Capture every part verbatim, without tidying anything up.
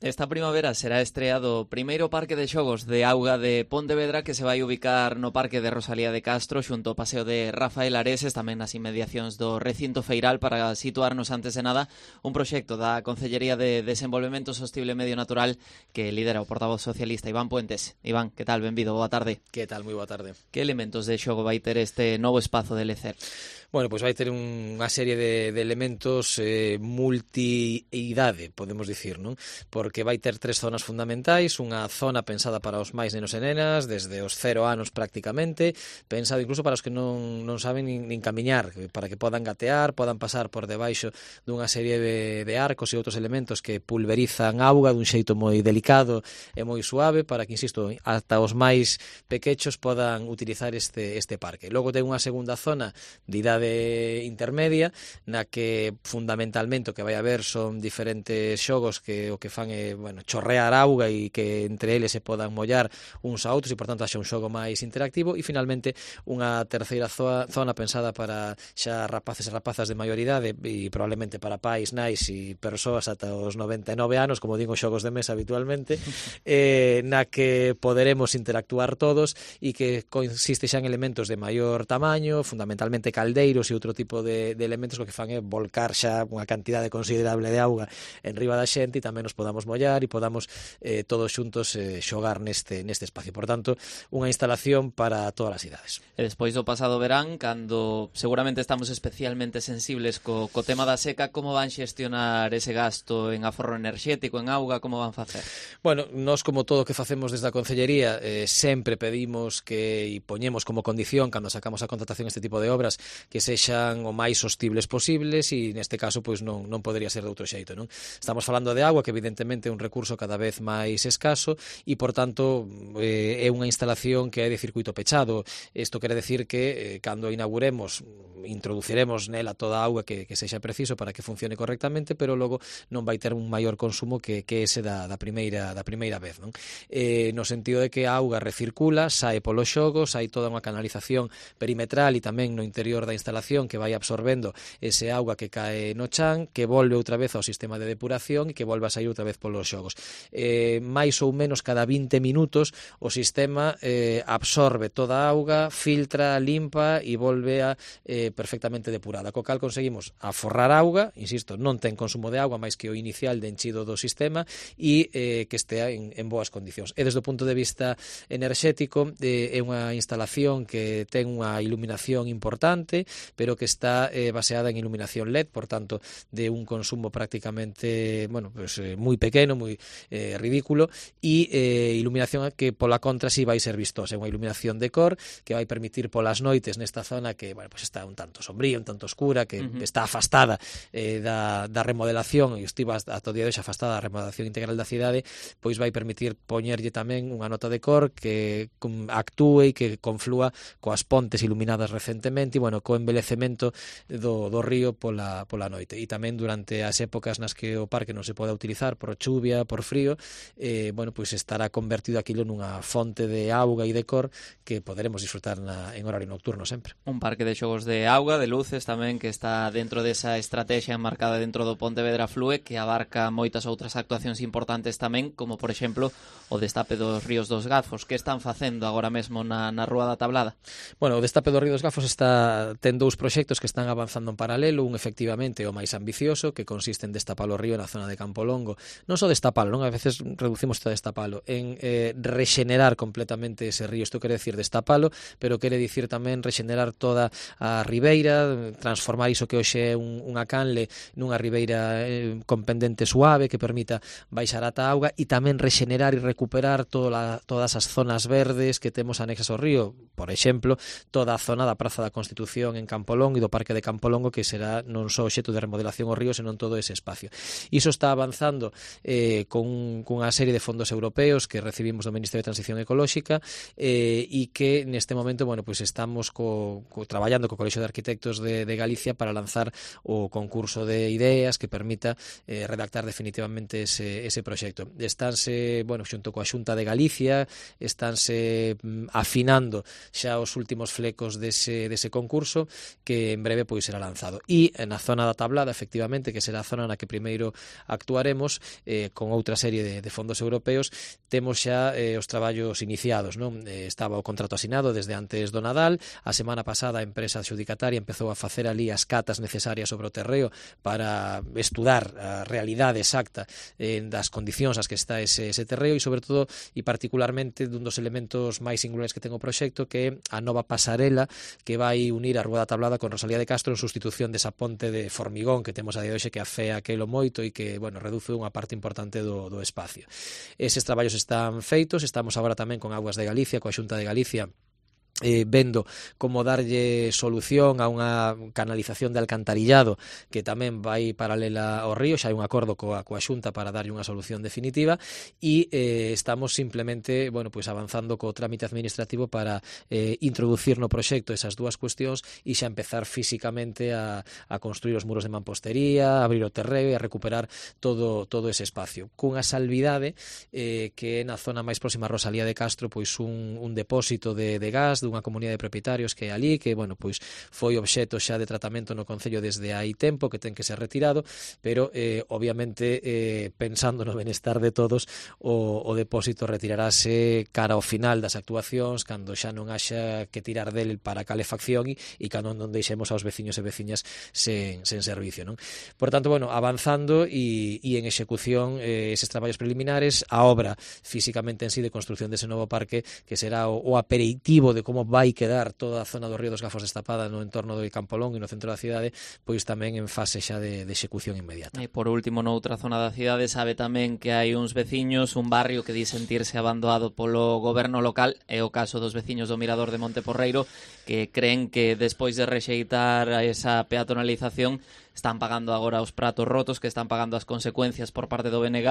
Esta primavera será estreado o primeiro parque de xogos de auga de Pontevedra que se vai ubicar no Parque de Rosalía de Castro xunto ao Paseo de Rafael Areses, tamén nas inmediacións do recinto feiral, para situarnos antes de nada un proxecto da Concellería de Desenvolvemento Sostible e Medio Natural que lidera o portavoz socialista Iván Puentes. Iván, que tal? Benvido, boa tarde. Que tal? Moi boa tarde. Que elementos de xogo vai ter este novo espazo de Lecer? Bueno, pois vai ter unha serie de, de elementos eh, multi-idade, podemos dicir, non? Porque vai ter tres zonas fundamentais, unha zona pensada para os máis nenos e nenas, desde os cero anos prácticamente, pensado incluso para os que non, non saben nin, nin camiñar, para que podan gatear, podan pasar por debaixo dunha serie de, de arcos e outros elementos que pulverizan auga dun xeito moi delicado e moi suave, para que, insisto, ata os máis pequechos podan utilizar este, este parque. Logo ten unha segunda zona de idade intermedia, na que fundamentalmente o que vai haber son diferentes xogos que o que fan é, bueno, chorrear auga e que entre eles se podan mollar uns a outros e, por tanto, haxa un xogo máis interactivo. E, finalmente, unha terceira zona pensada para xa rapaces e rapazas de maioridade e probablemente para pais, nais e persoas ata os noventa e nove anos, como digo, xogos de mesa habitualmente, eh, na que poderemos interactuar todos e que consiste xa en elementos de maior tamaño, fundamentalmente caldeiros e outro tipo de, de elementos que o que fan é volcar xa unha cantidade considerable de auga en riba da xente e tamén nos podamos mollar e podamos eh, todos xuntos eh, xogar neste, neste espacio. Por tanto, unha instalación para todas as idades. E despois do pasado verán, cando seguramente estamos especialmente sensibles co, co tema da seca, como van xestionar ese gasto en aforro enerxético, en auga, como van facer? Bueno, nós, como todo o que facemos desde a Concellería, eh, sempre pedimos que e poñemos como condición cando sacamos a contratación este tipo de obras que sexan o máis sostibles posibles e neste caso pois non, non podería ser de outro xeito, non? Estamos falando de agua, que evidentemente é un recurso cada vez máis escaso e, por tanto, eh, é unha instalación que é de circuito pechado. Isto quere decir que eh, cando inauguremos introduciremos nela toda a auga que, que sexa preciso para que funcione correctamente, pero logo non vai ter un maior consumo que, que ese da, da, primeira, da primeira vez, non? Eh, no sentido de que a auga recircula, sae polo xogo, sae toda unha canalización perimetral e tamén no interior da instalación que vai absorbendo ese auga que cae no chan, que volve outra vez ao sistema de depuración e que volve a sair outra vez polos xogos. Eh, máis ou menos cada vinte minutos o sistema eh, absorbe toda a auga, filtra, limpa e volve a eh, perfectamente depurada. Co cal conseguimos aforrar auga, insisto, non ten consumo de auga máis que o inicial de enchido do sistema e eh, que estea en, en boas condicións. E desde o punto de vista enerxético eh, é unha instalación que ten unha iluminación importante, pero que está eh, baseada en iluminación L E D, por tanto, de un consumo prácticamente, bueno, pues, eh, moi pequeno, moi eh, ridículo, e eh, iluminación que pola contra si vai ser vistosa. É unha iluminación de cor que vai permitir polas noites nesta zona que, bueno, pues está un tanto sombría, un tanto oscura, que uh-huh. está afastada eh, da, da remodelación e estivo hasta o día de hoxe afastada da remodelación integral da cidade, pois vai permitir poñerlle tamén unha nota de cor que um, actúe e que conflúa coas pontes iluminadas recentemente e, bueno, co embelecemento do, do río pola, pola noite. E tamén durante as épocas nas que o parque non se pode utilizar por chuvia, por frío, eh, bueno, pois estará convertido aquilo nunha fonte de auga e de cor que poderemos disfrutar na, en horario nocturno sempre. Un parque de xogos de auga, de luces tamén, que está dentro desa estrategia enmarcada dentro do Pontevedra Flúe, que abarca moitas outras actuacións importantes tamén, como por exemplo o destape dos ríos dos Gafos. Que están facendo agora mesmo na, na Rúa da Tablada? Bueno, o destape dos ríos dos Gafos está ten dous proxectos que están avanzando en paralelo, un efectivamente o máis ambicioso, que consiste en destapar o río na zona de Campolongo. Non só destapalo, non? A veces reducimos isto a destapalo, en eh, rexenerar completamente ese río. Isto quere decir destapalo, pero quere dicir tamén rexenerar toda a ribeira, transformar iso que hoxe é un, unha canle nunha ribeira eh, con pendente suave que permita baixar ata a auga e tamén rexenerar e recuperar toda, todas as zonas verdes que temos anexas ao río. Por exemplo, toda a zona da Praza da Constitución en Campolongo e do Parque de Campolongo, que será non só obxecto de remodelación ao río, senón todo ese espacio. Iso está avanzando eh, con, con unha serie de fondos europeos que recibimos do Ministerio de Transición Ecolóxica eh, e que neste momento, bueno, pues estamos co, co, traballando co Colexio de Arquitectos de, de Galicia para lanzar o concurso de ideas que permita eh, redactar definitivamente ese, ese proxecto. Estánse, bueno, xunto coa Xunta de Galicia, estánse mm, afinando xa os últimos flecos dese, dese concurso que en breve pois será lanzado. E na zona da Tablada, efectivamente, que será a zona na que primeiro actuaremos eh, con outra serie de, de fondos europeos, temos xa eh, os traballos iniciados, non? Eh, estaba o contrato asinado desde antes do Nadal, a semana pasada a empresa adxudicataria empezou a facer ali as catas necesarias sobre o terreo para estudar a realidade exacta eh, das condicións as que está ese, ese terreo e, sobre todo, e particularmente dun dos elementos máis singulares que ten o proxecto, que é a nova pasarela que vai unir a Rúa da Tablada con Rosalía de Castro en sustitución desa ponte de formigón que temos a día de hoxe, que afea aquelo moito e que, bueno, reduce unha parte importante do, do espacio. Eses traballos están feitos, estamos agora tamén con Augas de Galicia, coa Xunta de Galicia, Eh, vendo como darlle solución a unha canalización de alcantarillado que tamén vai paralela ao río, xa hai un acordo coa, coa Xunta para darlle unha solución definitiva e eh, estamos simplemente, bueno, pues avanzando co trámite administrativo para eh, introducir no proxecto esas dúas cuestións e xa empezar físicamente a, a construir os muros de mampostería, a abrir o terreo e a recuperar todo, todo ese espacio, cunha salvidade eh, que na zona máis próxima a Rosalía de Castro, pois un, un depósito de, de gas dunha comunidade de propietarios que é ali, que, bueno, pois foi obxecto xa de tratamento no Concello desde hai tempo, que ten que ser retirado, pero, eh, obviamente, eh, pensando no benestar de todos, o, o depósito retirarase cara ao final das actuacións, cando xa non haxa que tirar del para calefacción e, e cando non deixemos aos veciños e veciñas sen, sen servicio, non? Por tanto, bueno, avanzando e, e en execución eh, eses traballos preliminares, a obra físicamente en sí de construcción dese novo parque, que será o, o aperitivo de como vai quedar toda a zona do Río dos Gafos destapada no entorno do Campolón e no centro da cidade, pois tamén en fase xa de, de execución inmediata. E por último, noutra zona da cidade, sabe tamén que hai uns veciños, un barrio que di sentirse abandonado polo goberno local, é o caso dos veciños do Mirador de Monteporreiro, que creen que despois de rexeitar esa peatonalización están pagando agora os pratos rotos, que están pagando as consecuencias por parte do B N G.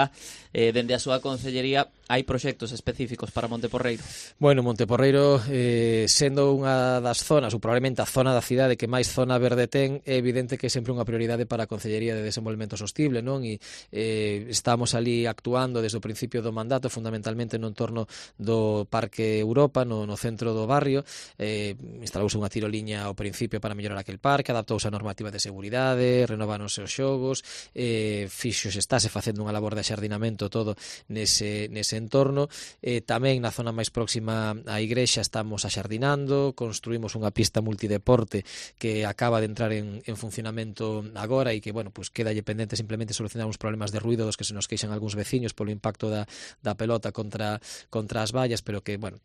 Eh, dende a súa concellería hai proxectos específicos para Monteporreiro? Bueno, Monteporreiro, eh, sendo unha das zonas, ou probablemente a zona da cidade que máis zona verde ten, é evidente que é sempre unha prioridade para a Concellería de Desenvolvemento Sostible, non? E eh, estamos ali actuando desde o principio do mandato, fundamentalmente no entorno do Parque Europa, no, no centro do barrio. Eh, instalouse unha tiroliña ao principio para mellorar aquel parque, adaptouse a normativa de seguridade, renováronse os xogos, eh, fixos, estáse facendo unha labor de axardinamento todo nese, nese entorno. Eh, tamén na zona máis próxima á igrexa estamos axardinando, construímos unha pista multideporte que acaba de entrar en, en funcionamento agora e que, bueno, pues quedalle pendente simplemente solucionar uns problemas de ruido dos que se nos queixan algúns veciños polo impacto da, da pelota contra, contra as vallas, pero que, bueno,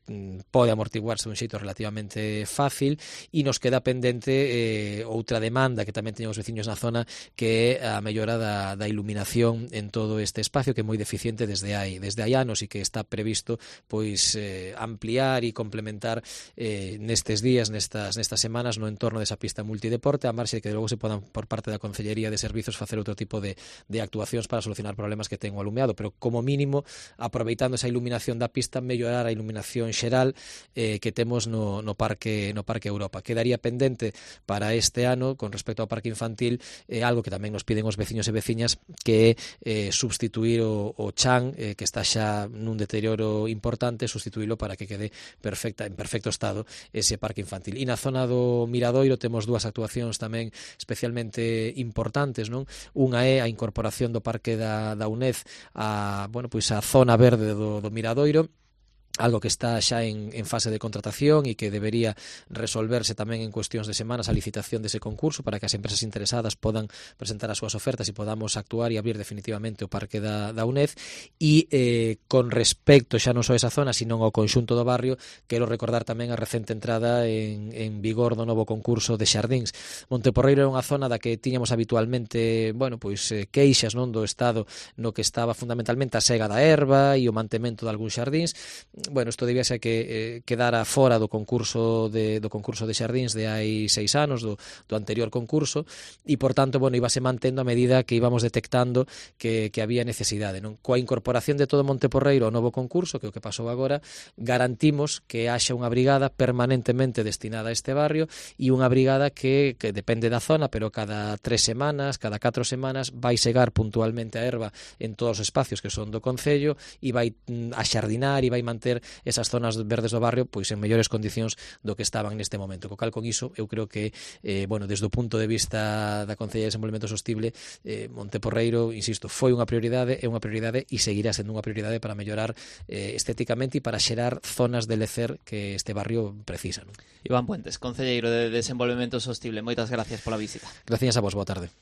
pode amortiguarse de un xeito relativamente fácil. E nos queda pendente eh, outra demanda que tamén teñen os veciños na zona, que é a mellora da, da iluminación en todo este espacio, que é moi deficiente desde hai, desde hai anos e que está previsto pois eh, ampliar e complementar eh, nestes días, nestas, nestas semanas, no entorno desa pista multideporte, a marxe que logo se podan por parte da Concellería de Servizos facer outro tipo de, de actuacións para solucionar problemas que ten o alumeado, pero como mínimo, aproveitando esa iluminación da pista, mellorar a iluminación xeral eh, que temos no, no Parque no Parque Europa. Quedaría pendente para este ano, con respecto ao Parque Infantil, eh, algo que tamén nos piden os veciños e veciñas, que é eh, substituir o, o chan, eh, que está xa nun deterioro importante, substituílo para que quede perfecta, en perfecto estado ese parque infantil. E na zona do Miradoiro temos dúas actuacións tamén especialmente importantes, non? Unha é a incorporación do parque da, da UNED a, bueno, pois a zona verde do, do Miradoiro, algo que está xa en, en fase de contratación e que debería resolverse tamén en cuestións de semanas a licitación dese concurso para que as empresas interesadas podan presentar as súas ofertas e podamos actuar e abrir definitivamente o parque da, da UNED. E eh, con respecto xa non só a esa zona, sino ao conxunto do barrio, quero recordar tamén a recente entrada en, en vigor do novo concurso de xardíns. Monteporreiro é unha zona da que tiñamos habitualmente, bueno, pois eh, queixas, non, do estado no que estaba fundamentalmente a sega da erva e o mantemento de algúns xardíns. Bueno, isto debía ser que eh, quedara fora do concurso de, do concurso de xardíns de hai seis anos, do, do anterior concurso, e, por tanto, bueno, íbase mantendo a medida que íbamos detectando que, que había necesidade, non? Coa incorporación de todo Monteporreiro ao novo concurso, que é o que pasou agora, garantimos que haxa unha brigada permanentemente destinada a este barrio e unha brigada que, que depende da zona, pero cada tres semanas, cada catro semanas, vai segar puntualmente a erva en todos os espacios que son do Concello e vai axardinar e vai manter ter esas zonas verdes do barrio pois en mellores condicións do que estaban neste momento. Co cal, con iso, eu creo que, eh, bueno, desde o punto de vista da Concellería de Desenvolvemento Sostible, eh, Monteporreiro, insisto, foi unha prioridade, é unha prioridade e seguirá sendo unha prioridade para mellorar eh, estéticamente e para xerar zonas de lecer que este barrio precisa, non? Iván Puentes, Concelleiro de Desenvolvemento Sostible, moitas gracias pola visita. Gracias a vos, boa tarde.